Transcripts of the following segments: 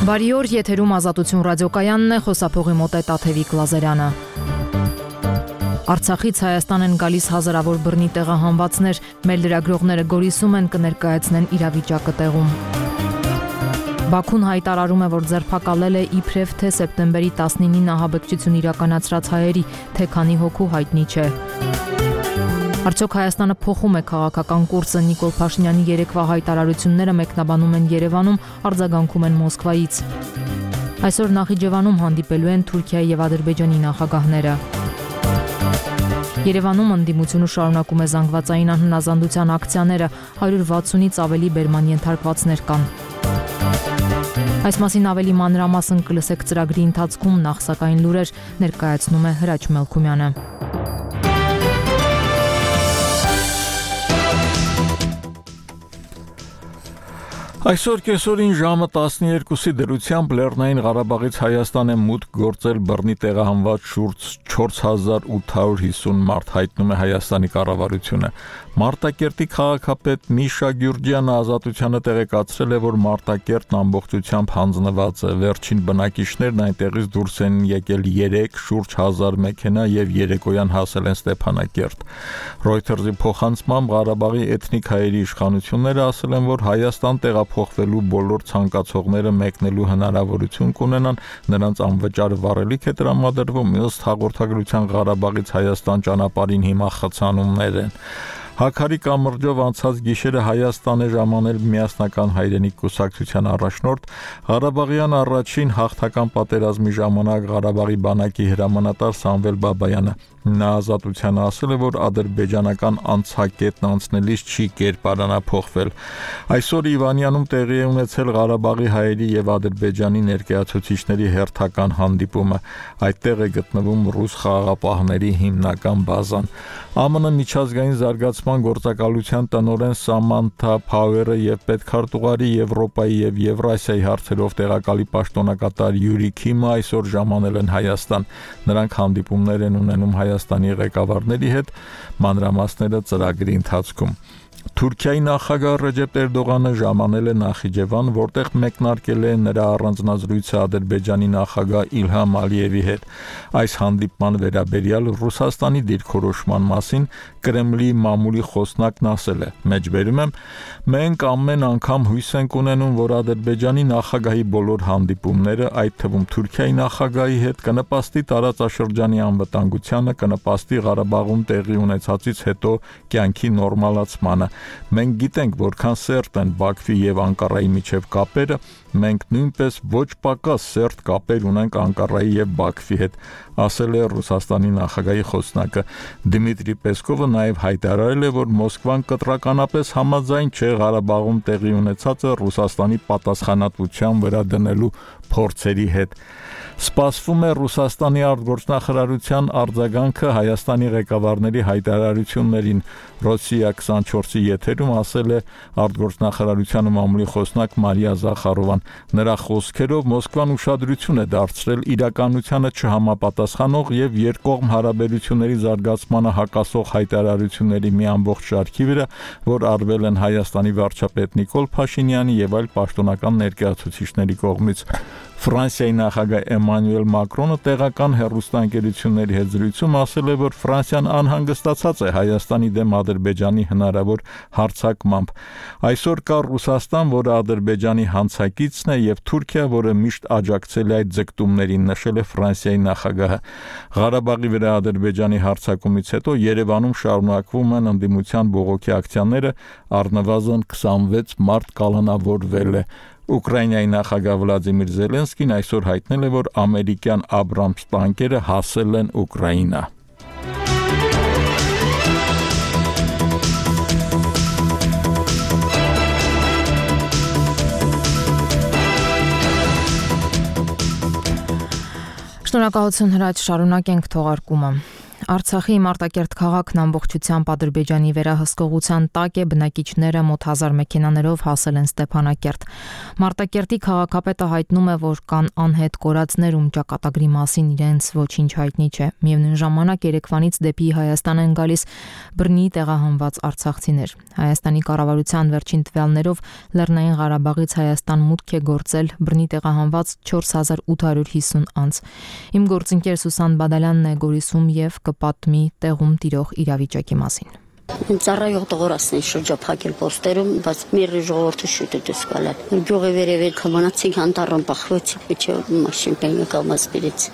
Բարի օր, եթերում Ազատություն ռադիոկայանն է, խոսափողի մոտ է Տաթևիկ Լազարյանը։ Արցախից Հայաստան են գալիս հազարավոր բռնի տեղահանվածներ, մեր լրագրողները Գորիսում են կներկայացնեն իրավիճակը տեղում։ Բաքուն հայտարարում է, որ ձերբակալել է իբրև թե սեպտեմբերի 19-ին ահաբեկչություն իրականացրած հայերի, թե քանի հոգու հայտնի չէ։ Արդյոք Հայաստանը փոխում է քաղաքական կուրսը, Նիկոլ Փաշինյանի երեկվա հայտարարությունները մեկնաբանում են Երևանում, արձագանքում են Մոսկվայից։ Այսօր Նախիջևանում հանդիպելու են Թուրքիայի եւ Ադրբեջանի նախագահները։ Երևանում ընդդիմությունը շարունակում է զանգվածային անհնազանդության ակցիաները, 160-ից ավելի բերման ենթարկվածներ կան։ Այս մասին ավելի մանրամասն կլսեք ծրագրի ընթացքում, նախ սակայն լուրեր ներկայացնում է Հրաչ Մելքումյանը։ Այսօր կեսօրին ժամը 12-ի դրությամբ Լեռնային Ղարաբաղից Հայաստան է մուտք գործել բռնի տեղահանված շուրջ 4850 մարդ, հայտնում է Հայաստանի կառավարությունը։ Մարտակերտի քաղաքապետ Միշա Գյուրջյանը Ազատությանը տեղեկացրել է, որ Մարտակերտն ամբողջությամբ հանձնված է։ Վերջին բնակիչներն այնտեղից դուրս են եկել 3 շուրջ 1000 մեքենա եւ երեկոյան հասել են Ստեփանակերտ։ Reuters-ի փոխանցմամբ Ղարաբաղի էթնիկ հայերի իշխանությունները ասել են, որ Հայաստան տեղափոխվելու բոլոր ցանկացողները մեկնելու հնարավորություն կունենան, նրանց անվճար վառելիք է տրամադրվում, ըստ հաղորդագրության Ղարաբաղից Հայաստան ճանապարհին հիմա խցանումներ են։ Հաքարի կամրջով անցած գիշերը Հայաստան է ժամանել Միասնական հայրենիք կուսակցության առաջնորդ, Ղարաբաղյան առաջին հաղթական պատերազմի ժամանակ Ղարաբաղի բանակի հրամանատար Սամվել Բաբայանը։ Նա Ազատությանը ասել է, որ ադրբեջանական անցակետն անցնելիս չի կերպարանափոխվել։ Այսօր Իվանյանում տեղի է ունեցել Ղարաբաղի հայերի եւ Ադրբեջանի ներկայացուցիչների հերթական հանդիպումը։ Այդտեղ է գտնվում ռուս խաղաղապահների հիմնական բազան։ ԱՄՆ միջազգային զարգացման գործակալության տնօրեն Սամանթա Փաուերը եւ պետքարտուղարի Եվրոպայի եւ Եվրասիայի հարցերով տեղակալի պաշտոնակատար Յուրի Քիմը այսօր ժամանել են Հայաստան։ Նրանք հանդիպումներ են ունենում Հայաստանի ղեկավարների հետ, մանրամասները ծրագրի ընթացքում։ Թուրքիայի նախագահ Ռեջեփ Էրդողանը ժամանել է Նախիջևան, որտեղ մեկնարկել է նրա առանձնազրույցը Ադրբեջանի նախագահ Իլհամ Ալիևի հետ։ Այս հանդիպման վերաբերյալ Ռուսաստանի դիրքորոշման մասին Կրեմլի մամուլի խոսնակն ասել է. «Մեջբերում եմ, մենք ամեն անգամ հույս ենք ունենում, որ Ադրբեջանի նախագահի բոլոր հանդիպումները, այդ թվում Թուրքիայի նախագահի հետ, կնպաստի տարածաշրջանի անվտանգությանը, կնպաստի Ղարաբաղում տեղի ունեցածից հետո կյանքի նորմալացմանը։ Մենք գիտենք, որքան սերտ են Բաքվի եւ Անկարայի միջև կապերը, մենք նույնպես ոչ պակաս սերտ կապեր ունենք Անկարայի եւ Բաքվի հետ», ասել է Ռուսաստանի նախագահի խոսնակը։ Դմիտրի Պեսկովը նաեւ հայտարարել է, որ Մոսկվան կտրականապես համաձայն չէ Ղարաբաղում տեղի ունեցածը Ռուսաստանի պատասխանատվության վրա դնելու փորձերի հետ։ Սպասվում է Ռուսաստանի արտգործնախարարության արձագանքը Հայաստանի ղեկավարների հայտարարություններին։ Ռոսիա 24-ի եթերում ասել է արտգործնախարարության մամուլի խոսնակ Մարիա Զախարովան։ Նրա խոսքերով Մոսկվան ուշադրություն է դարձրել իրականությանը չհամապատասխանող եւ երկկողմ հարաբերությունների զարգացմանը հակասող հայտարարությունների մի ամբողջ շարքի վրա, որ արվել են Հայաստանի վարչապետ Նիկոլ Փաշինյանի եւ այլ պաշտոնական ներկայացուցիչների կողմից։ Ֆրանսիայի նախագահ Էմանուել Մակրոնը տեղական հեռուստաընկերությունների հետ զրույցում ասել է, որ Ֆրանսիան անհանգստացած է Հայաստանի դեմ Ադրբեջանի հնարավոր հարձակմամբ։ Այսօր կա Ռուսաստան, որը Ադրբեջանի հանցակիցն է, եւ Թուրքիա, որը միշտ աջակցել է այդ ձգտումներին, նշել է Ֆրանսիայի նախագահը։ Ղարաբաղի վրա Ադրբեջանի հարձակումից հետո Երևանում շարունակվում են ընդդիմության բողոքի ակցիաները, առնվազն 26 մարդ կալանավորվել է։ Ուկրաինայի նախագահ Վլադիմիր Զելենսկին այսօր հայտնել է, որ ամերիկյան Աբրամս տանկերը հասել են Ուկրաինա։ Շնորհակալություն Հրաչ, շարունակենք թողարկումը։ Արցախի Մարտակերտ քաղաքն ամբողջությամբ Ադրբեջանի վերահսկողության տակ է, բնակիչները մոտ 1000 մեքենաներով հասել են Ստեփանակերտ։ Մարտակերտի քաղաքապետը հայտնում է, որ կան անհետ կորածներ, ում ճակատագրի մասին իրենց ոչինչ հայտնի չէ։ Միևնույն ժամանակ Երևանից դեպի Հայաստան են գալիս բռնի տեղահանված արցախցիներ։ Հայաստանի կառավարության վերջին տվյալներով Լեռնային Ղարաբաղից Հայաստան մուտք է գործել բռնի տեղահանված 4850 անձ։ Իմ գործընկեր Սուսան Բադալյանն է Գորիսում եւ կպատմի տեղում տիրող իրավիճակի մասին։ Ծառայող տղորացն են շրջափակել պոստերում, բայց մեր ժողովուրդը շուտ է դուրս գալալ։ Գյուղի վերևեր կմնացին անտառում բախվեցին, չէ՞ մաշին բենը կամասպիրեց։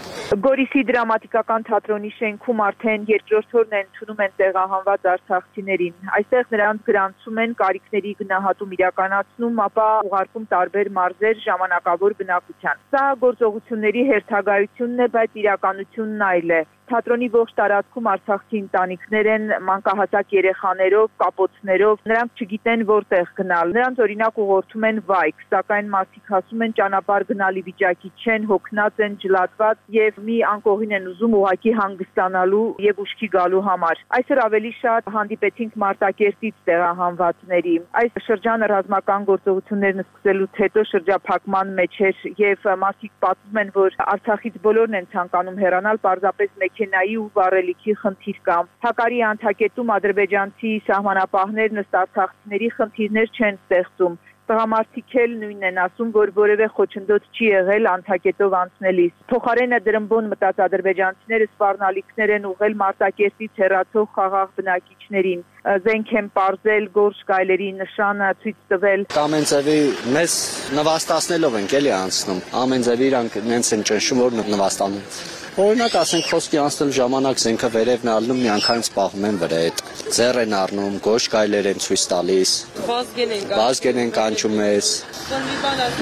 Գորիսի դրամատիկական թատրոնի շենքում արդեն երկրորդ օրն են ընդունում են տեղահանված արցախցիներին։ Այստեղ նրանց գրանցում են կարիքների գնահատում իրականացնում, ապա ուղարկում տարբեր մարզեր ժամանակավոր բնակության։ Սա գործողությունների հերթագայությունն է, բայց իրականությունն այլ է։ Թատրոնի ողջ տարածքում արցախցի ընտանիքներ են մանկահասակ երեխաներով, կապոցներով, նրանք չգիտեն որտեղ գնալ։ Նրանց օրինակ ուղղորդում են վայք, սակայն մարդիկ ասում են ճանապարհ գնալի վիճակի չեն, հոգնած են, ջլատված եւ մի անկողին են ուզում ուղակի հանգստանալու եւ ուշքի գալու համար։ Այսօր ավելի շատ հանդիպեցինք Մարտակերտից տեղահանվածների։ Այս շրջանը ռազմական գործողություններն սկսելուց հետո շրջափակման մեջ էր եւ մարդիկ պատմում են, որ Արցախից բոլորն են ցանկանում հեռանալ, պարզապես մեքենայի ու վառելիքի խնդիր կա։ Հակարի անթակետում ադրբեջանցի սահմանապահներն ըստ արցախցիների խնդիրներ չեն ստեղծում։ Տղամարդիկ էլ նույնն են ասում, որ որևէ խոչընդոտ չի եղել անթակետով անցնելիս։ Փոխարենը դրմբոն մտած ադրբեջանցիները սպառնալիքներ են ուղղել Մարտակերտից հեռացող խաղաղ բնակիչներին։ Զենք են պարզել, գորշ գայլերի նշանը ցույց տվել։ Ամեն ձևի մեզ նվաստացնելով ենք էլի անցնում։ Ամեն ձևի իրանք նենց են ճնշում, որ նվաստանում։ Օրինակ ասենք խոսքի անցնելու ժամանակ զենքը վերևն է ալնում, միանգամից պահում են վրա հետ։ Ձեռ են առնում, գորշ գայլեր են ցույց տալիս։ Վազգեն են կանչում մեզ։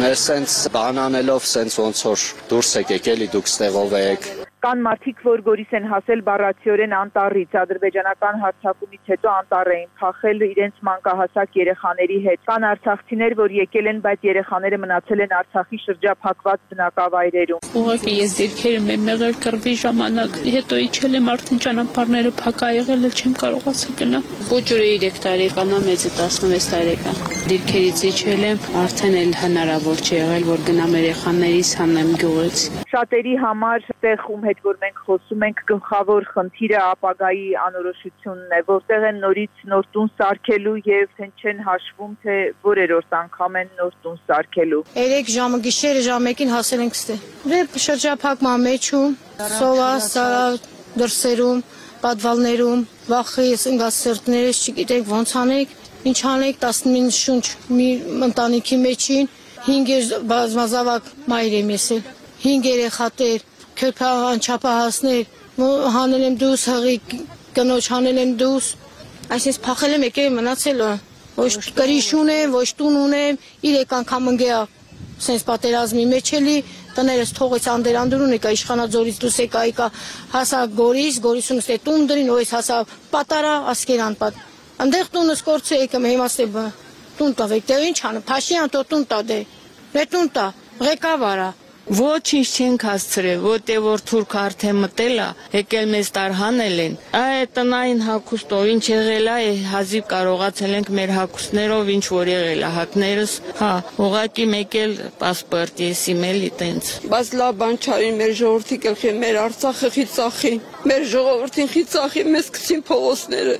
Մեր սենց բան անելով սենց ոնց որ դուրս եկեք էլի դուք ստեղով եք։ Կան մարդիկ, որ Գորիս են հասել բառացիորեն անտառից, ադրբեջանական հարձակումից հետո անտառ էին փախել իրենց մանկահասակ երեխաների հետ։ Կան արցախցիներ, որ եկել են, բայց երեխաները մնացել են Արցախի շրջափակված բնակավայրերում։ Ուղղակի ես դիրքերը մեղել կռվի ժամանակ, հետո իջել եմ արդեն ճանապարհները փակ ա եղել, չեմ կարողացել գնալ։ Փոջուրը 3 տարեկան է, մեծը 16 տարեկան։ Դիրքերից իջել եմ, արդեն էլ հնարավոր չի եղել, որ գնամ երեխաներիս հանեմ գյուղից։ Շատերի համար տեղ ում հետ որ մենք խոսում ենք գլխավոր խնդիրը ապագայի անորոշությունն է, որտեղ են նորից նոր տուն սարքելու եւ հենց չեն հաշվում թե որերորդ անգամ են նոր տուն սարքելու։ 3 ժամը գիշերը ժամը 1-ին հասել ենք ստե։ Դե շրջափակման մեջում, սովա, սարա, դրսերում, պատվալներում, վախից ընկասերտներս չգիտենք ոնց անենք, ինչ անենք 19 շունչ մի ընտանիքի մեջին 5 բազմազավակ մայր եմ եսել, 5 երեխաներ, քրփաղան չափահասներ, հանել եմ դուս, հղի կնոջ հանել եմ դուս, այսինքն փախել եմ եկել մնացել, ոչ կրիշ ունեմ, ոչ տուն ունեմ, 3 անգամ ընկեա, սենց պատերազմի մեջ էլի, տներս թողեց անդերանդուրուն եկա, իշխանաձորից դուս եկա, հասա Գորիս, Գորիսում ստե տուն դրին, ոյս հասա պատարա, ասկեր անպատ, ընդեղ տունս կորցը եկեմ, հիմա ստե տուն տավեք, դե ինչ անեմ, Փաշյան տո տուն տա դե, դե տուն տա, ղեկավարա, Ոչինչ չենք հասցրել, որտեղ որ թուրք արդեն մտել է, եկել մեզ տարհանել են։ Այդ տնային հագուստով ինչ եղել է, հազիվ կարողացել ենք մեր հագուստներով ինչ որ եղել է, հակներս, հա, ուղղակի մեկ էլ պասպորտ եսիմ էլի տենց։ Բայց լավ բան չարին մեր ժողովրդի կլխի, մեր Արցախը խիծախի, մեր ժողովրդին խիծախի, մեզ գցին փողոցները։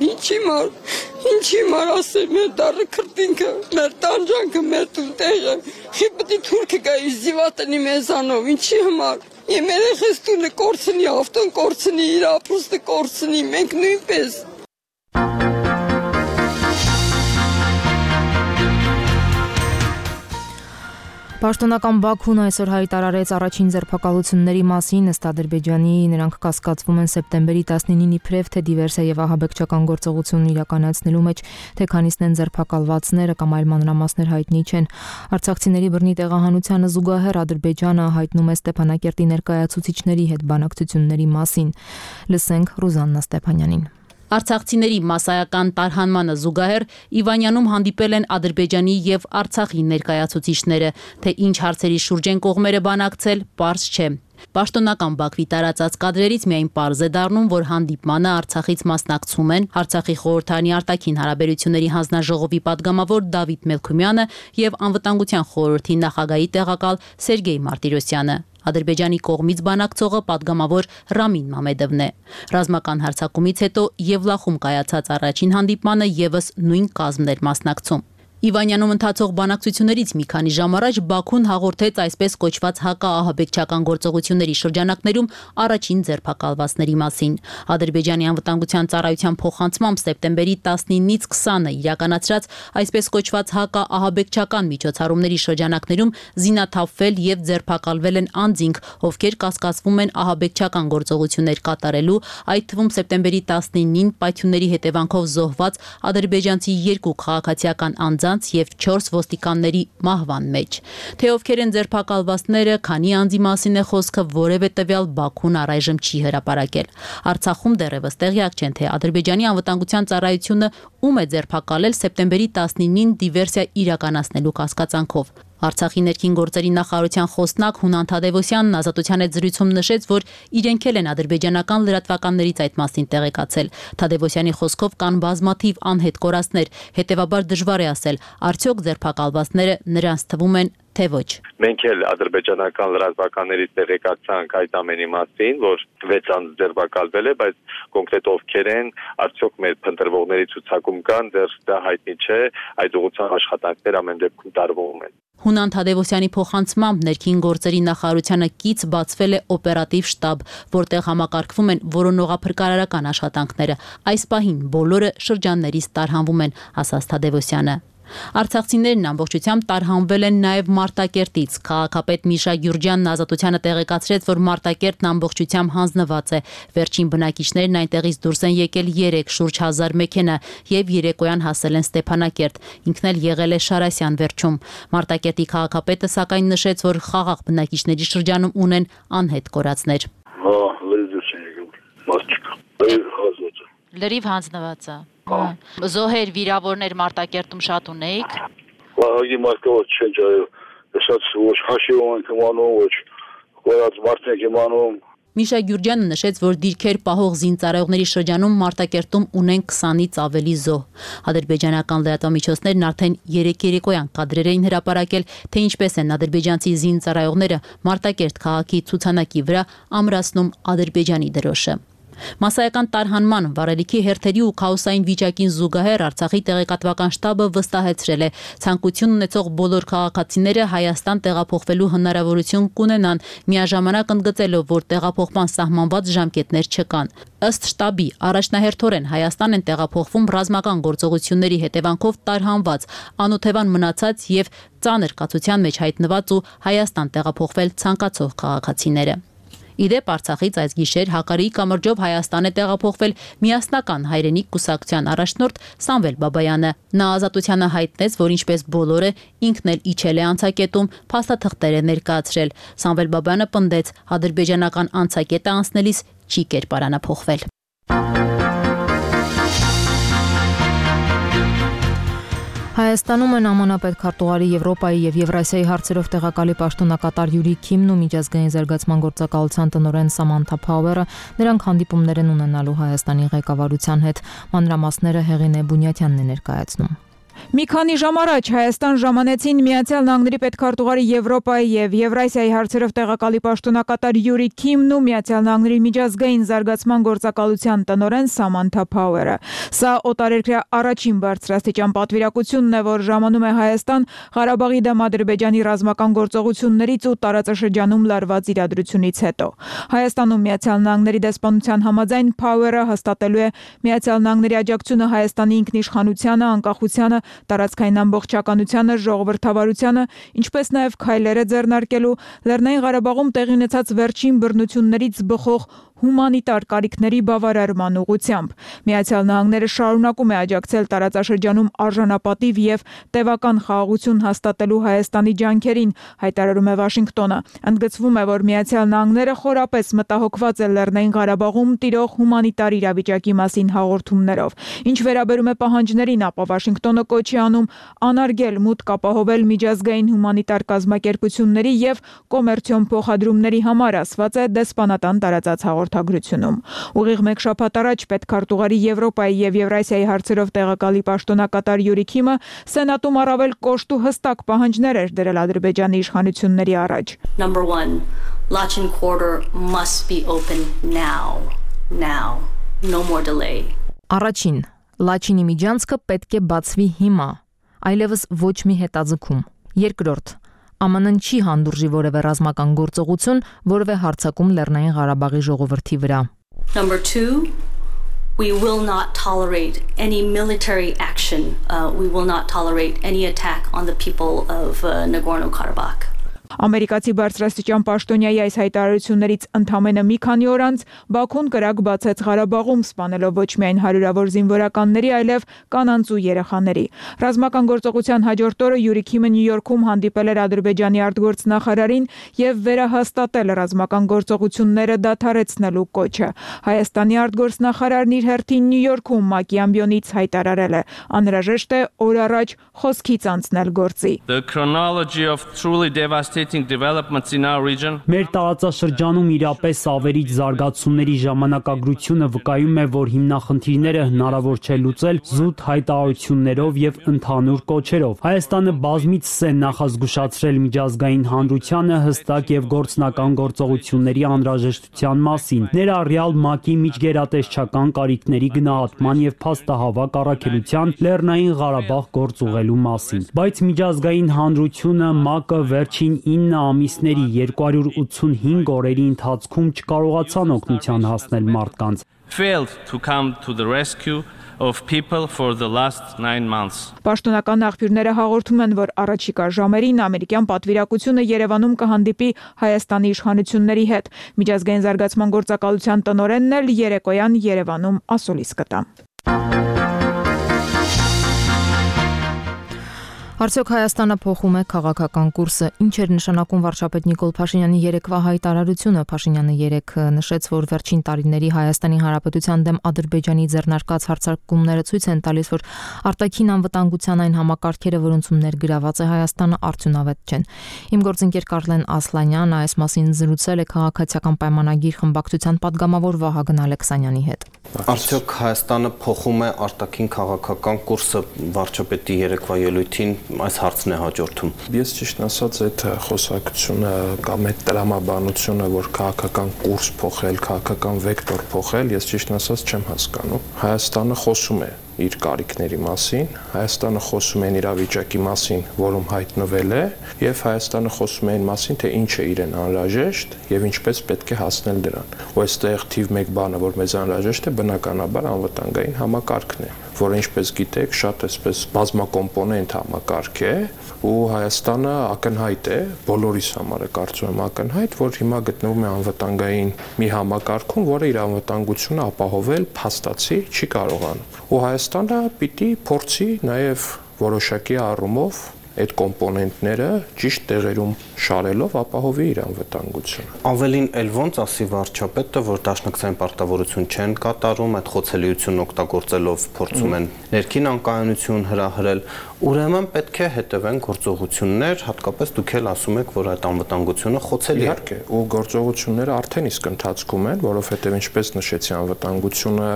Ինչի մար ասել մեր դառը քրտինքը, մեր տանջանքը, մեր տունտեղը, խիպտի թուրքը գայի զիվատնի մեզանով, ինչի համար։ Իմ երեխես տունը կորցնի, ավտոն կորցնի, իր ապրուստը կորցնի, մենք նույնպես։ Պաշտոնական Բաքուն այսօր հայտարարեց առաջին ձերբակալությունների մասին, ըստ Ադրբեջանի նրանք կասկածվում են սեպտեմբերի 19-ի իբրև թե դիվերսիա եւ ահաբեկչական գործողություն իրականացնելու մեջ, թե քանիսն են ձերբակալվածները կամ այլ մանրամասներ հայտնի չեն։ Արցախցիների բռնի տեղահանությանը զուգահեռ Ադրբեջանը հայտնում է Ստեփանակերտի ներկայացուցիչների հետ բանակցությունների մասին։ Լսենք Ռուզաննա Ստեփանյանին։ Արցախցիների մասսայական տարհանմանը զուգահեռ Իվանյանում հանդիպել են Ադրբեջանի եւ Արցախի ներկայացուցիչները, թե ինչ հարցերի շուրջ են կողմերը բանակցել, պարզ չէ։ Պաշտոնական Բաքվի տարածած կադրերից միայն պարզ է դառնում, որ հանդիպմանը Արցախից մասնակցում են Արցախի խորհրդարանի արտաքին հարաբերությունների հանձնաժողովի падգամավոր Դավիթ Մելքումյանը եւ Անվտանգության խորհրդի նախագահի տեղակալ Սերգեյ Մարտիրոսյանը։ Ադրբեջանի կողմից բանակցողը падգամավոր Ռամին Մամեդովն է։ Ռազմական հարձակումից հետո Եվլախում կայացած առաջին հանդիպմանը եւս նույն կազմն էր մասնակցում։ Իվանյանում ընթացող բանակցություններից մի քանի ժամ առաջ Բաքուն հաղորդեց այսպես կոչված հակաահաբեկչական գործողությունների շրջանակներում առաջին ձերբակալվածների մասին։ Ադրբեջանի անվտանգության ծառայության փոխանցմամբ սեպտեմբերի 19-ից 20-ը իրականացրած այսպես կոչված հակաահաբեկչական միջոցառումների շրջանակներում զինաթափվել եւ ձերբակալվել են անձինք, ովքեր կասկածվում են ահաբեկչական գործողություններ կատարելու, այդ թվում սեպտեմբերի 19-ին պայթյունների հետևանքով զոհված ադրբեջանցի 2 քաղաքացիական անձ եւ 4 ոստիկանների մահվան մեջ։ Թե ովքեր են ձերբակալվածները, քանի անձի մասին է խոսքը, որևէ տվյալ Բաքուն առայժմ չի հրապարակել։ Արցախում դեռևս տեղյակ չեն, թե Ադրբեջանի անվտանգության ծառայությունը ում է ձերբակալել սեպտեմբերի 19-ին դիվերսիա իրականացնելու կասկածանքով։ Արցախի ներքին գործերի նախարարության խոսնակ Հունան Թադևոսյանն Ազատության հետ զրույցում նշեց, որ իրենք են ադրբեջանական լրատվականներից այդ մասին տեղեկացել։ Թադևոսյանի խոսքով կան բազմաթիվ անհետ կորածներ, հետևաբար դժվար է ասել, արդյոք ձերբակալվածները նրանց թվում են, թե ոչ։ Մենք էլ ադրբեջանական լրատվականներից տեղեկացանք այդ ամենի մասին, որ 6 անձ ձերբակալվել է, բայց կոնկրետ ովքեր են, արդյոք մեր փնտրողների ցուցակում կան, դեռ դա հայտնի չէ, այդ ուղղությամբ աշխատանքներ ամեն դեպքում տարվում են։ Հունան Թադևոսյանի փոխանցմամբ ներքին գործերի նախարարությանը կից բացվել է օպերատիվ շտաբ, որտեղ համակարգվում են որոնողափրկարարական աշխատանքները։ Այս պահին բոլորը շրջաններից տարհանվում են, ասաց Թադևոսյանը։ Արցախցիներն ամբողջությամբ տարհանվել են նաև Մարտակերտից։ Քաղաքապետ Միշա Գյուրջյանն Ազատությանը տեղեկացրեց, որ Մարտակերտն ամբողջությամբ հանձնված է։ Վերջին բնակիչներն այնտեղից դուրս են եկել 3 շուրջ 1000 մեքենա եւ երեկոյան հասել են Ստեփանակերտ։ Ինքն էլ եղել է Շարասյան վերջում։ Մարտակերտի քաղաքապետը սակայն նշեց, որ խաղաղ բնակիչների շրջանում ունեն անհետ կորածներ։ Լրիվ հանձնված է։ Զոհեր, վիրավորներ Մարտակերտում շատ ունեիք։ Վաղի մարդկով չեն ջայել, շատ ոչ հաշիվում են կմանում, ոչ կորած մարդենք իմանում։ Միշա Գյուրջյանը նշեց, որ դիրքեր պահող զինծառայողների շրջանում Մարտակերտում ունեն 20-ից ավելի զոհ։ Ադրբեջանական լրատվամիջոցներն արդեն 3 երեկոյան կադրեր էին հրապարակել, թե ինչպես են ադրբեջանցի զինծառայողները Մարտակերտ քաղաքի ցուցանակի վրա ամրացնում Ադրբեջանի դրոշը։ Մասսայական տարհանման, վառելիքի հերթերի ու քաոսային վիճակին զուգահեռ Արցախի տեղեկատվական շտաբը վստահեցրել է, ցանկություն ունեցող բոլոր քաղաքացիները Հայաստան տեղափոխվելու հնարավորություն կունենան, միաժամանակ ընդգծելով, որ տեղափոխման սահմանված ժամկետներ չկան։ Ըստ շտաբի, առաջնահերթորեն Հայաստան են տեղափոխվում ռազմական գործողությունների հետևանքով տարհանված, անօթևան մնացած եւ ծանր կացության մեջ հայտնված ու Հայաստան տեղափոխվել ցանկացող քաղաքացիները։ Իդեպ Արցախից այս գիշեր Հակարիի կամրջով Հայաստան է տեղափոխվել միասնական հայրենիք կուսակցության առաջնորդ Սամվել Բաբայանը։ Նա Ազատությանը հայտնեց, որ ինչպես բոլորը ինքն էլ իջել է անցակետում, փաստաթղթեր է ներկայացրել։ Սամվել Բաբայանը պնդեց, ադրբեջանական անցակետը անցնելիս չի կերպարանափոխվել։ Հայաստանում են ԱՄՆ պետքարտուղարի Եվրոպայի եւ Եվրասիայի հարցերով տեղակալի պաշտոնակատար Յուրի Քիմն ու միջազգային զարգացման գործակալության տնօրեն Սամանթա Փաուերը նրանք հանդիպումներ են ունենալու Հայաստանի ղեկավարության հետ։ Մանրամասները Հեղինե Բունյաթյանն է ներկայացնում։ Մի քանի ժամ առաջ Հայաստան ժամանեցին Միացյալ Նահանգների պետքարտուղարի Եվրոպայի եւ Եվրասիայի հարցերով տեղակալի պաշտոնակատար Յուրի Քիմն ու Միացյալ Նահանգների միջազգային զարգացման գործակալության տնօրեն Սամանթա Փաուերը։ Սա օտարերկրյա առաջին բարձրաստիճան պատվիրակությունն է, որ ժամանում է Հայաստան Ղարաբաղի դեմ Ադրբեջանի ռազմական գործողություններից ու տարածաշրջանում լարված իրադրությունից հետո։ Հայաստանում Միացյալ Նահանգների դեսպանության համաձայն Փաուերը հաստատելու է Միացյալ Նահանգների աջակցությունը Հայաստանի ինքնիշխանությանը, անկախությանը, տարածքային ամբողջականությանը, ժողովրդավարությանը, ինչպես նաև քայլերը ձեռնարկելու Լեռնային Ղարաբաղում տեղի ունեցած վերջին բռնություններից բխող հումանիտար կարիքների բավարարման ուղղությամբ։ Միացյալ Նահանգները շարունակում է աջակցել տարածաշրջանում արժանապատիվ եւ տևական խաղաղություն հաստատելու Հայաստանի ջանքերին, հայտարարում է Վաշինգտոնը։ Ընդգծվում է, որ Միացյալ Նահանգները խորապես մտահոգված է Լեռնային Ղարաբաղում տիրող հումանիտար իրավիճակի մասին հաղորդումներով։ Ինչ վերաբերում է պահանջներին, ապա Վաշինգտոնը կոչ է անում անարգել մուտք ապահովել միջազգային հումանիտար կազմակերպությունների եւ կոմերցիոն փոխադրումների համար, ասված է դեսպանատան տարածած հաղորդագրությունում։ Ուղիղ մեկ շաբաթ առաջ պետքարտուղարի Եվրոպայի եւ Եվրասիայի հարցերով տեղակալի պաշտոնակատար Յուրի Քիմը Սենատում առավել կոշտ ու հստակ պահանջներ էր դրել Ադրբեջանի իշխանությունների առաջ։ Number 1, Lachin corridor must be open now. No more delay. Առաջին, Լաչինի միջանցքը պետք է բացվի հիմա, այլևս ոչ մի հետաձգում։ Երկրորդ, ԱՄՆ-ն չի հանդուրժի որևէ ռազմական գործողություն, որևէ հարձակում Լեռնային Ղարաբաղի ժողովրդի վրա։ Number 2, we will not tolerate any military action. We will not tolerate any attack on the people of Nagorno-Karabakh. Ամերիկացի բարձրաստիճան պաշտոնյայի այս հայտարարություններից ընդամենը մի քանի օր անց Բաքուն կրակ բացեց Ղարաբաղում, սպանելով ոչ միայն հարյուրավոր զինվորականների, այլև կանանց ու երեխաների։ Ռազմական գործողության հաջորդ օրը Յուրի Քիմը Նյու Յորքում հանդիպել էր Ադրբեջանի արտգործնախարարին եւ վերահաստատել ռազմական գործողությունները դադարեցնելու կոչը։ Հայաստանի արտգործնախարարն իր հերթին Նյու Յորքում ՄԱԿ-ի ամբիոնից հայտարարել է. անհրաժեշտ է օր առաջ խոսքից անցնել գործի։ The chronology of truly devastating developments in our region. Մեր տարածաշրջանում իրապես ավերիչ զարգացումների ժամանակագրությունը վկայում է, որ հիմնախնդիրները հնարավոր չէ լուծել զուտ հայտարարություններով եւ ընդհանուր կոչերով։ Հայաստանը բազմիցս է նախազգուշացրել միջազգային հանրությանը հստակ եւ գործնական գործողությունների անհրաժեշտության մասին, ներառյալ ՄԱԿ-ի միջգերատեսչական կարիքների գնահատման եւ փաստահավաք առաքելության Լեռնային Ղարաբաղ գործուղելու մասին։ Բայց միջազգային հանրությունը ՄԱԿ-ը վերջին 9 ամիսների 285 օրերի ընթացքում չկարողացան օգնության հասնել մարդկանց։ Failed to come to the rescue of people for the last 9 months. Պաշտոնական աղբյուրները հաղորդում են, որ առաջիկա ժամերին ամերիկյան պատվիրակությունը Երևանում կհանդիպի Հայաստանի իշխանությունների հետ։ Միջազգային զարգացման գործակալության տնօրենն էլ երեկոյան Երևանում ասուլիս կտա։ Արդյոք Հայաստանը փոխում է քաղաքական կուրսը։ Ինչ էր նշանակում վարչապետ Նիկոլ Փաշինյանի երեկվա հայտարարությունը։ Փաշինյանը երեկ նշեց, որ վերջին տարիների Հայաստանի Հանրապետության դեմ Ադրբեջանի ձեռնարկած հարձակումները ցույց են տալիս, որ արտաքին անվտանգության այն համակարգերը, որոնցում ներգրաված է Հայաստանը, արդյունավետ չեն։ Իմ գործընկեր Կարլեն Ասլանյանը այս մասին զրուցել է քաղաքացիական պայմանագիր խմբակցության падգամավոր Վահագն Ալեքսանյանի հետ։ Արդյոք Հայաստանը փոխում է արտաքին քաղաքական կուրսը վարչապետի երեկվա ելույթին այս հարցն է հաջորդում։ Ես ճիշտ ասած այդ խոսակցությունը կամ այդ տրամաբանությունը, որ քաղաքական կուրս փոխել, քաղաքական վեկտոր փոխել, ես ճիշտ ասած չեմ հասկանում։ Հայաստանը խոսում է իր կարիքների մասին, Հայաստանը խոսում է իրավիճակի մասին, որում հայտնվել է, եւ Հայաստանը խոսում է այն մասին, թե ինչ է իրեն անհրաժեշտ եւ ինչպես պետք է հասնել դրան։ Ու այստեղ թիվ 1 բանը, որ մեզ անհրաժեշտ է, բնականաբար անվտանգային համակարգն է, որը ինչպես գիտեք, շատ էսպես բազմակոմպոնենտ համակարգ է, ու Հայաստանը ակնհայտ է, բոլորիս համար է կարծում եմ ակնհայտ, որ հիմա գտնվում է անվտանգային մի համակարգում, որը իր անվտանգությունը ապահովել փաստացի չի կարողանում։ Ու Հայաստանը պիտի փորձի նաև որոշակի առումով այդ կոմպոնենտները ճիշտ տեղերում շարելով ապահովի իր անվտանգությունը։ Ավելին էլ ոնց ասի վարչապետը, որ դաշնակցային պարտավորություն չեն կատարում, այդ խոցելիությունն օգտագործելով փորձում են ներքին անկայունություն հրահրել, ուրեմն պետք է հետևեն գործողություններ, հատկապես դուք էլ ասում եք, որ այդ անվտանգությունը խոցելի է։ Իհարկե, ու գործողությունները արդեն իսկ ընթացքում են, որովհետև ինչպես նշեցի, անվտանգությունը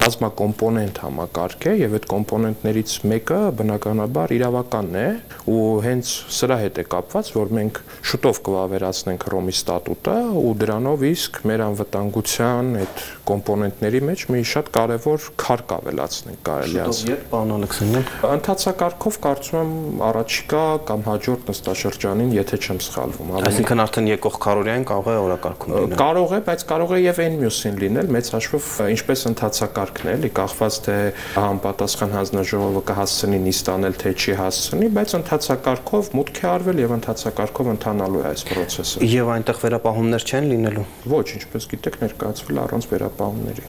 բազմակոմպոնենտ համակարգ է եւ այդ կոմպոնենտներից մեկը բնականաբար իրավականն է, ու հենց սրա հետ է կապված, որ մենք շուտով կվավերացնենք Հռոմի ստատուտը ու դրանով իսկ մեր անվտանգության այդ կոմպոնենտների մեջ մի շատ կարևոր քարկ ավելացնենք կարելի ասել։ Շուտով երբ, պարոն Ալեքսանյան։ Ընթացակարգով առումով կարծում եմ առաջիկա կամ հաջորդ նստաշրջանին, եթե չեմ սխալվում, այսինքն արդեն եկող քարորիային կարող է օրակարգում լինել։ Կարող է, բայց կարող է եւ այն մյուսին լինել, մեծ հաշվով ինչպես ընթացակարգն է, էլի կախված թե համապատասխան հանձնաժողովը կհասցնի նիստ անել, թե չի հասցնի, բայց ընթացակարգով մուտք է արվել եւ ընթացակարգով ընթանալու է այս process-ը։ Եվ այնտեղ վերապահումներ չեն լինելու։ Ոչ, ինչպես գիտեք, ներկայացվել առանց վերապահումների։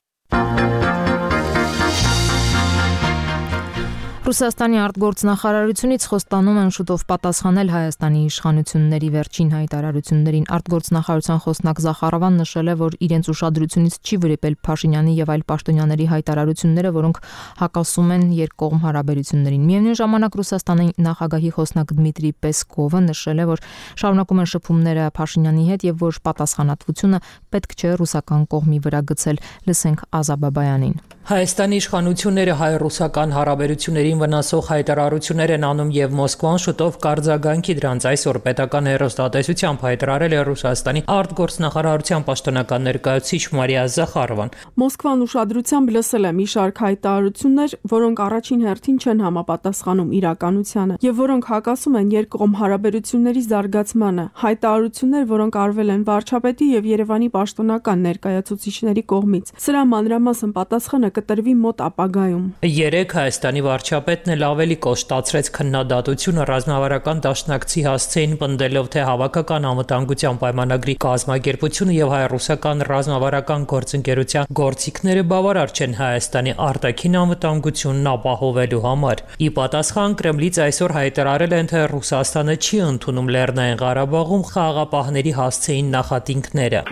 Ռուսաստանի արտգործնախարարությունից խոստանում են շուտով պատասխանել Հայաստանի իշխանությունների վերջին հայտարարություններին։ Արտգործնախարարության խոսնակ Զախարովան նշել է, որ իրենց ուշադրությունից չի վրիպել Փաշինյանի եւ այլ պաշտոնյաների հայտարարությունները, որոնք հակասում են երկկողմ հարաբերություններին։ Միևնույն ժամանակ Ռուսաստանի նախագահի խոսնակ Դմիտրի Պեսկովը նշել է, որ շարունակում են շփումները Փաշինյանի հետ եւ որ պատասխանատվությունը պետք չէ ռուսական կողմի վրա գցել։ Լսենք Ազաբաբայանին։ Հայաստանի իշխանությունները հայ-ռուսական հարաբերություններին վնասող հայտարարություններ են անում եւ Մոսկվան շուտով կարձագանքի դրանց այսօր պետական հեռուստատեսությամբ հայտարարել է Ռուսաստանի արտգործնախարարության պաշտոնական ներկայացուցիչ Մարիա Զախարովան։ Մոսկվան ուշադրությամբ լսել է մի շարք հայտարարություններ, որոնք առաջին հերթին չեն համապատասխանում իրականությանը եւ որոնք հակասում են երկկողմ հարաբերությունների զարգացմանը։ Հայտարարություններ, որոնք արվել են վարչապետի եւ Երևանի պաշտոնական ներկայացուցիչների կողմից։ Սրա մանրամասն պատասխանը կտրվի մոտ ապագայում։ Երեք Հայաստանի վարչապետն էլ ավելի կոշտացրեց քննադատությունը ռազմավարական դաշնակցի հասցեին պնդելով, թե հավաքական անվտանգության պայմանագրի կազմակերպությունը եւ հայ-ռուսական ռազմավարական գործընկերության գործիքները բավարար չեն Հայաստանի արտաքին անվտանգությունն ապահովելու համար։ Ի պատասխան Կրեմլից այսօր հայտարարել են, թե Ռուսաստանը չի ընդունում Լեռնային Ղարաբաղում խաղաղապահների հասցեին նախատինքները։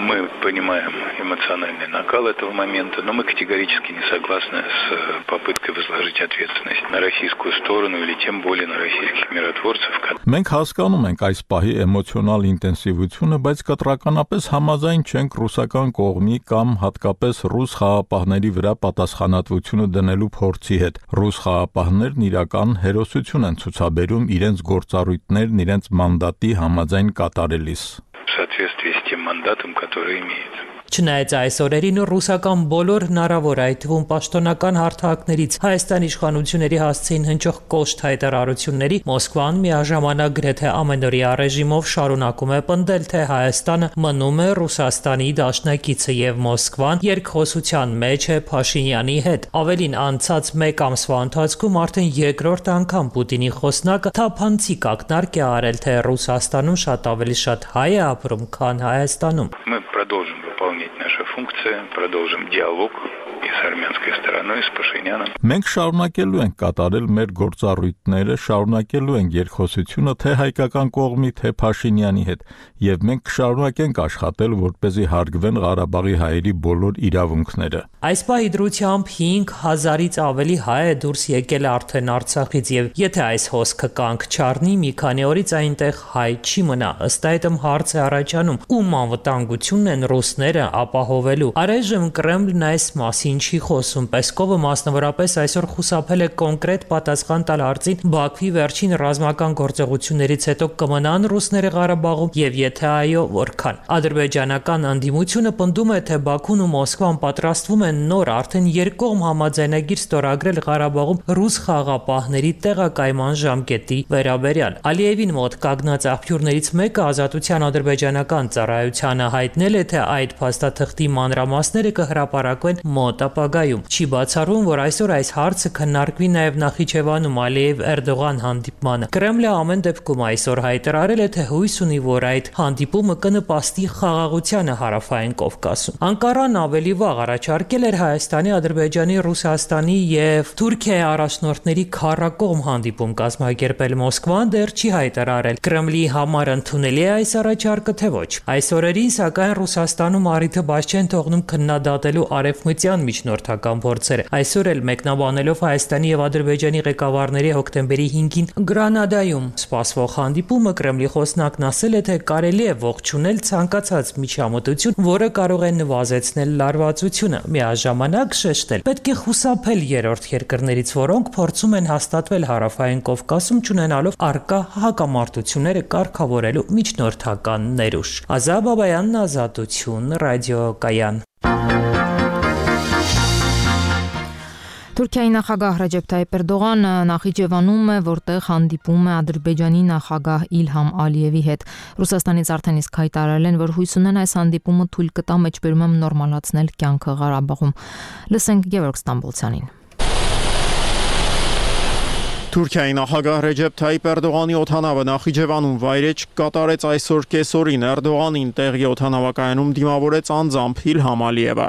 Эмоциональный накал этого момента, но мы категорически не согласны с попыткой возложить ответственность на российскую сторону или тем более на российских миротворцев. Մենք հասկանում ենք այս պահի էմոցիոնալ ինտենսիվությունը, բայց կտրականապես համաձայն չենք ռուսական կողմի կամ հատկապես ռուս խաղապահների վրա պատասխանատվությունը դնելու փորձի հետ։ Ռուս խաղապահներն իրական հերոսություն են ցուցաբերում իրենց գործառույթներն իրենց մանդատի համաձայն կատարելիս։ В соответствии с тем мандатом, который имеет. Չնայած այս օրերին ռուսական բոլոր հնարավոր այդ թվում պաշտոնական հարթակներից Հայաստանի իշխանությունների հասցեին հնչող կոշտ հայտարարությունների Մոսկվան միաժամանակ գրեթե ամենօրյա ռեժիմով շարունակում է պնդել, թե Հայաստանը մնում է Ռուսաստանի դաշնակիցը եւ Մոսկվան երկխոսության մեջ է Փաշինյանի հետ։ Ավելին անցած մեկ ամսվա ընթացքում արդեն երկրորդ անգամ Պուտինի խոսնակը թափանցիկ ակնարկ է արել, թե Ռուսաստանում շատ հայ է ապրում, քան Հայաստանում։ Продолжим выполнять наши функции, продолжим диалог и с армянской стороной, и с Пашиняном. Մենք շարունակելու ենք կատարել մեր գործառույթները, շարունակելու ենք երկխոսությունը թե հայկական կողմի, թե Փաշինյանի հետ, եւ մենք կշարունակենք աշխատել, որպեսզի հարգվեն Ղարաբաղի հայերի բոլոր իրավունքները։ Այս պահի դրությամբ 5000-ից ավելի հայ է դուրս եկել արդեն Արցախից եւ եթե այս հոսքը կանգ չառնի, մի քանի օրից այնտեղ հայ չի մնա։ Ըստ այդմ հարց է առաջանում, ում անվտանգությունն են ռուսները ապահովելու։ Առայժմ Կրեմլն այս մասին չի խոսում։ Պեսկովը մասնավորապես այսօր խուսափել է կոնկրետ պատասխան տալ հարցին Բաքվի վերջին ռազմական գործողություններից հետո կմնան ռուսները Ղարաբաղում եւ եթե այո, որքան։ Ադրբեջանական անդիմությունը պնդում է, թե Բաքուն ու Մոսկվան պատրաստվում են նոր արդեն երկկողմ համաձայնագիր ստորագրել Ղարաբաղում ռուս խաղապահների տեղակայման ժամկետի վերաբերյալ։ Ալիևին մոտ կանգնած աղբյուրներից մեկը Ազատության ադրբեջանական ծառայությանը հայտնել է, թե այդ փաստաթղթի մանրամասները կհրապարակվեն մոտ ապագայում։ Չի բացառվում, որ այսօր այս հարցը քննարկվի նաև Նախիջևանում Ալիև-Էրդողան հանդիպմանը։ Կրեմլը ամեն դեպքում այսօր հայտարարել է, թե հույս ունի, որ այդ հանդիպումը կնպաստի խաղաղությանը Հարավային Կովկասում։ Անկարան ավելի վաղ առաջարկել էր Հայաստանի, Ադրբեջանի, Ռուսաստանի եւ Թուրքիայի առաջնորդների քառակողմ հանդիպում կազմակերպել։ Մոսկվան դեռ չի հայտարարել Կրեմլի համար ընդունելի է այս առաջարկը, թե ոչ։ Այս օրերին, սակայն Ռուսաստանում առիթը բաց չեն թողնում քննադատելու արևմտյան միջնորդական փորձերը։ Այսօր էլ մեկնաբանելով Հայաստանի եւ Ադրբեջանի ղեկավարների հոկտեմբերի 5-ին Գրանադայում սպասվող հանդիպումը Կրեմլի խոսնակն ասել է, թե կարելի է ողջունել ցանկացած միջամտություն, որը կարող է նվազեցնել լարվածությունը։ Միաժամանակ շեշտել, պետք է խուսափել երրորդ երկրներից, որոնք փորձում են հաստատվել Հարավային Կովկասում, չունենալով առկա հակամարտությունները կարգավորելու միջնորդական ներուժ։ Ազաբաբայանն, Ազատություն, ռադիոկայան։ Թուրքիայի նախագահ Ռեջեփ Թայիպ Էրդողանը Նախիջևանում է, որտեղ հանդիպում է Ադրբեջանի նախագահ Իլհամ Ալիևի հետ։ Ռուսաստանից արդեն իսկ հայտարարել են, որ հույս ունեն այս հանդիպումը թույլ կտա մեջբերումը նորմալացնել կյանքը Ղարաբաղում։ Լսենք Գևորգ Ստամբոլցյանին։ Թուրքիայի նախագահ Ռեջեփ Թայիպ Էրդողանի օդանավը Նախիջևանում վայրէջք կատարեց այսօր կեսօրին։ Էրդողանին տեղի օդանավակայանում դիմավորեց անձամբ Իլհամ Ալիևը։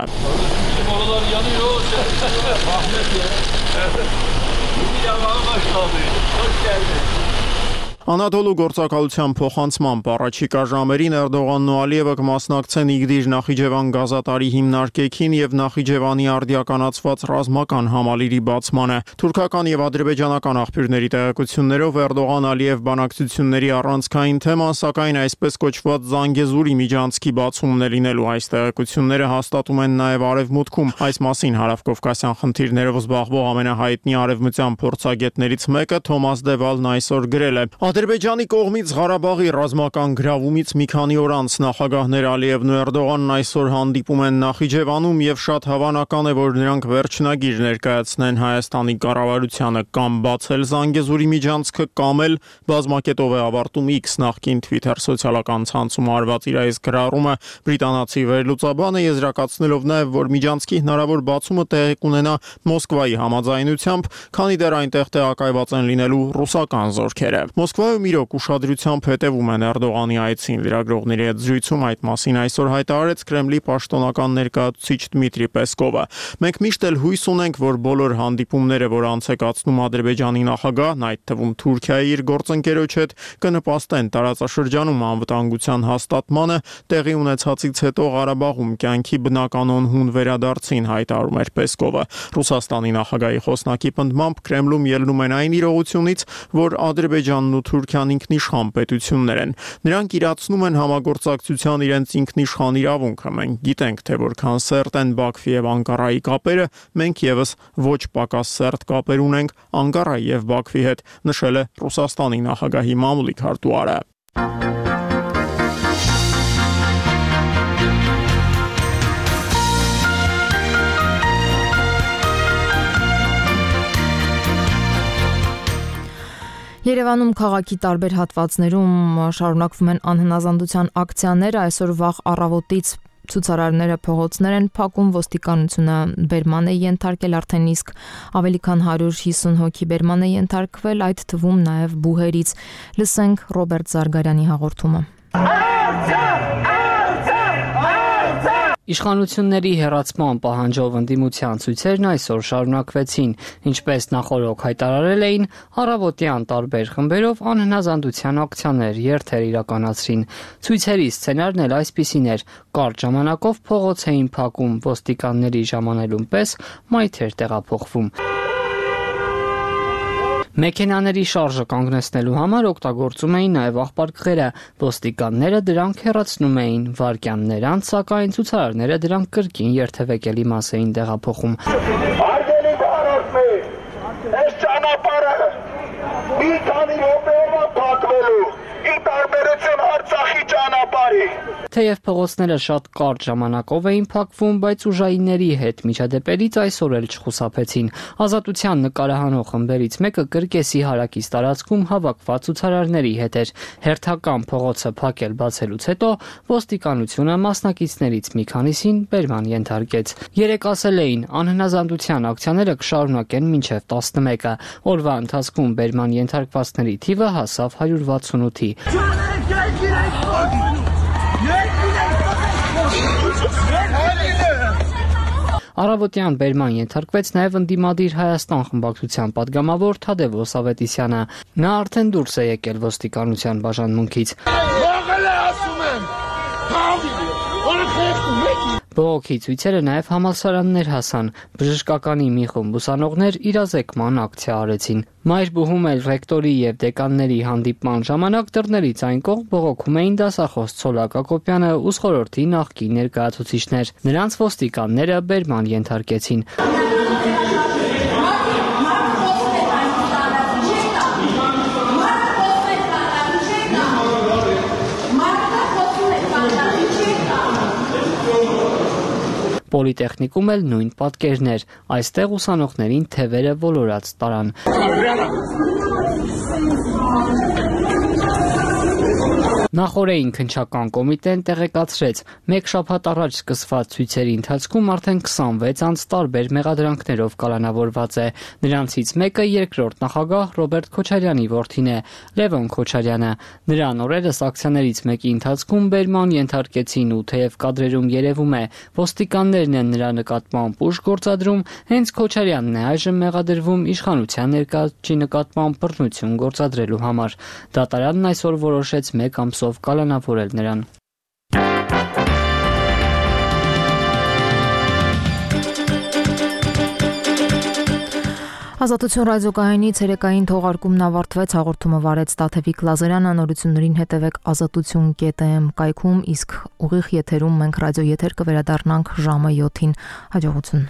Անադոլու գործակալության փոխանցման առաջիկա ժամերին Էրդողանն ու Ալիևը կմասնակցեն Իգդիր Նախիջևան գազատարի հիմնարկեքին եւ Նախիջևանի արդիականացված ռազմական համալիրի բացմանը։ Թուրքական եւ ադրբեջանական աղբյուրների տեղեկություններով Էրդողան-Ալիև բանակցությունների առանցքային թեման, սակայն այսպես կոչված Զանգեզուրի միջանցքի բացումն է լինելու։ Այս տեղեկությունները հաստատում են նաեւ Արևմուտքում։ Այս մասին հարավկովկասյան խնդիրներով զբաղվող ամենահայտնի արևմտյան փորձագետներից մեկը Թոմաս Դևալն այսօր գրել է. Ադրբեջանի կողմից Ղարաբաղի ռազմական գրավումից մի քանի օր անց նախագահներ Ալիևն ու Էրդողանն այսօր հանդիպում են Նախիջևանում եւ շատ հավանական է, որ նրանք վերջնագիր ներկայացնեն Հայաստանի կառավարությանը կամ բացել Զանգեզուրի միջանցքը կամ էլ բազմակետով է ավարտում X նախկին Twitter սոցիալական ցանցում արված իր այս գրառումը բրիտանացի վերլուծաբանը եզրակացնելով նաեւ, որ միջանցքի հնարավոր բացումը տեղի կունենա Մոսկվայի համաձայնությամբ, քանի դեռ այնտեղ տեղակայված են լինելու ռուսական զորքերը։ Մոսկվայում իրոք ուշադրությամբ հետևում են Էրդողանի այցին։ Լրագրողների հետ զրույցում այդ մասին այսօր հայտարարեց Կրեմլի պաշտոնական ներկայացուցիչ Դմիտրի Պեսկովը։ Մենք միշտ էլ հույս ունենք, որ բոլոր հանդիպումները, որ անց է կացնում Ադրբեջանի նախագահն, այդ թվում Թուրքիայի իր գործընկերոջ հետ, կնպաստեն տարածաշրջանում անվտանգության հաստատմանը, տեղի ունեցածից հետո Ղարաբաղում կյանքի բնականon հուն վերադարձին, հայտարարում էր Պեսկովը։ Ռուսաստանի նախագահի խոսնակի պնդմամբ Կրեմլում ելնում են այն իրողությունից, որ Ադրբեջանն ու Թուրքիան ինքնիշխան պետություններ են։ Նրանք իրացնում են համագործակցության իրենց ինքնիշխան իրավունքը։ Մենք գիտենք, թե որքան սերտ են Բաքվի եւ Անկարայի կապերը, մենք եւս ոչ պակաս սերտ կապեր ունենք Անկարայի եւ Բաքվի հետ, նշել է Ռուսաստանի նախագահի մամուլի քարտուղարը։ Երևանում քաղաքի տարբեր հատվածներում շարունակվում են անհնազանդության ակցիաները, այսօր վաղ առավոտից ցուցարարները փողոցներ են փակում, ոստիկանությունը բերման է ենթարկել արդեն իսկ ավելի քան 150 հոգի բերման է ենթարկվել, այդ թվում նաև բուհերից։ Լսենք Ռոբերտ Զարգարյանի հաղորդումը։ Իշխանությունների հեռացման պահանջով ընդդիմության ցույցերն այսօր շարունակվեցին, ինչպես նախօրոք հայտարարել էին, առավոտյան տարբեր խմբերով անհնազանդության ակցիաներ երթեր իրականացրին։ Ցույցերի սցենարն էլ այսպիսին էր՝ կարճ ժամանակով փողոց էին փակում, ոստիկանների ժամանելուն պես մայթեր տեղափոխվում։ Մեքենաների շարժը կանգնեցնելու համար օգտագործում էին նաև աղբարկղերը, ոստիկանները դրանք հեռացնում էին, վայրկյաններ անց, սակայն ցուցարարները դրանք կրկին երթևեկելի մաս էին տեղափոխում։ Արգելի բարոյ, այս ճանապարհը մի քանի րոպեով է փակվելու, ի տարբերություն Արցախի ճանապարհի։ Թեև փողոցները շատ կարճ ժամանակով էին փակվում, բայց ուժայինների հետ միջադեպերից այսօր էլ չխուսափեցին։ Ազատության նկարահանող խմբերից մեկը Կրկեսի հարակից տարածքում հավաքված ցուցարարների հետ էր։ Հերթական փողոցը փակել բացելուց հետո ոստիկանությունը մասնակիցներից մի քանիսին բերման ենթարկեց։ Երեք ասել էին, անհնազանդության ակցիաները կշարունակեն մինչև 11-ը։ Օրվա ընթացքում բերման ենթարկվածների թիվը հասավ 168-ի։ Առավոտյան բերման ենթարկվեց նաև ընդդիմադիր Հայաստան խմբակցության падգամավոր Թադևոս Ավետիսյանը։ Նա արդեն դուրս է եկել ոստիկանության բաժանմունքից։ Բողոքի ցույցերը նաև համալսարաններ հասան։ Բժշկականի մի խումբ ուսանողներ իրազեկման ակցիա արեցին։ Մայրբուհում էլ ռեկտորի եւ դեկանների հանդիպման ժամանակ դռներից այն կողմ բողոքում էին դասախոս Ցոլակ Ակոպյանը ու խորհրդի նախկին ներկայացուցիչներ։ Նրանց ոստիկանները բերման ենթարկեցին։ Պոլիտեխնիկում էլ նույն պատկերներ։ Այստեղ ուսանողներին թևերը ոլորած տարան։ Նախորդին քննչական կոմիտեն տեղեկացրեց, մեկ շաբաթ առաջ սկսված ցույցերի ընթացքում արդեն 26 անձ տարբեր մեղադրանքներով կալանավորված է։ Նրանցից մեկը երկրորդ նախագահ Ռոբերտ Քոչարյանի որդին է, Լևոն Քոչարյանը։ Նրան օրերս ակցիաներից մեկի ընթացքում բերման ենթարկեցին ու թեև կադրերում երևում է, ոստիկաններն են նրա նկատմամբ ուժ գործադրում, հենց Քոչարյանն է այժմ մեղադրվում իշխանության ներկայացուցիչի նկատմամբ բռնություն գործադրելու համար։ Դատարանն այսօր որոշեց 1 ամսով կալանավորել նրան։ Ազատություն ռադիոկայանի ցերեկային թողարկումն ավարտվեց, հաղորդումը վարեց Տաթևիկ Լազարյանը, նորություններին հետևեք azatutun.am կայքում, իսկ ուղիղ եթերում մենք ռադիո եթեր կվերադառնանք ժամը 7-ին։ Հաջողություն։